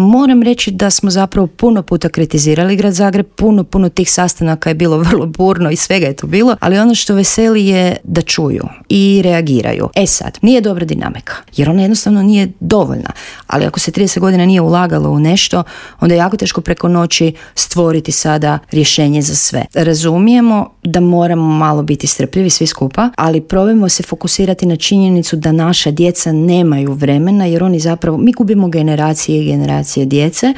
Moram reći da smo zapravo puno puta kritizirali Grad Zagreb, puno tih sastanaka je bilo vrlo burno i svega je tu bilo, ali ono što veseli je da čuju i reagiraju. Sad, nije dobra dinamika, jer ona jednostavno nije dovoljna, ali ako se 30 godina nije ulagalo u nešto, onda je jako teško preko noći stvoriti sada rješenje za sve. Razumijemo da moramo malo biti strpljivi svi skupa, ali probajmo se fokusirati na činjenicu da naša djeca nemaju vremena, jer oni zapravo, mi gubimo generacije i generacije djece